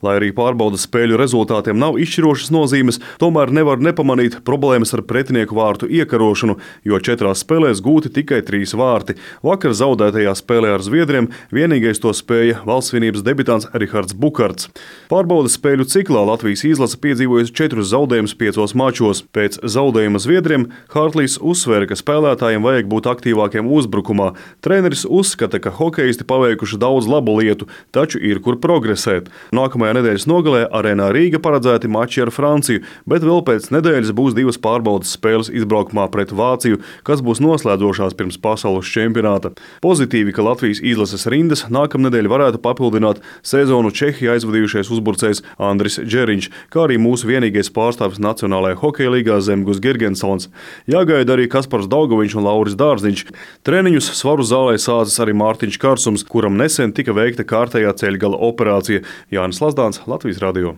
Lai arī pārbaudas spēļu rezultātiem nav izšķirošas nozīmes, tomēr nevar nepamanīt problēmas ar pretinieku vārtu iekarošanu, jo 4 spēlēs gūti tikai 3 vārti. Vakar zaudētajā spēlē ar Zviedriem vienīgais to spēja valstsvienības debitants Rihards Bukarts. Pārbaudas spēļu ciklā Latvijas izlase piedzīvojusi 4 zaudējumus 5 mačos. Pēc zaudējuma Zviedriem Hartlīs uzsvēra, ka spēlētājiem vajag būt aktīvākiem uzbrukumā. Treneris uzskata, ka hokeisti paveikuši daudz labu lietu, taču ir kur progresēt. Nākamajā nedēļas nogalē Arēnā Rīga paredzēti mači ar Franciju, bet vēl pēc nedēļas būs 2 pārbaudas spēles izbraukumā pret Vāciju, kas būs noslēdzošās pirms pasaules čempionāta. Pozitīvi, ka Latvijas izlases rindas nākamnedēļ varētu papildināt sezonu Čehijā aizvadījušais uzbrucējs Andris Džeriņš, kā arī mūsu vienīgais pārstāvis Nacionālajā hokeja līgā Zemgus Girgensons. Jāgaida arī Kaspars Daugoviņš un Lauris Dārziņš. Treniņus Svaru zālē sācis arī Mārtiņš Karsums, kuram nesen tika veikta kārtējā ceļgala operācija. Jānis Lazdāns, Latvijas radio.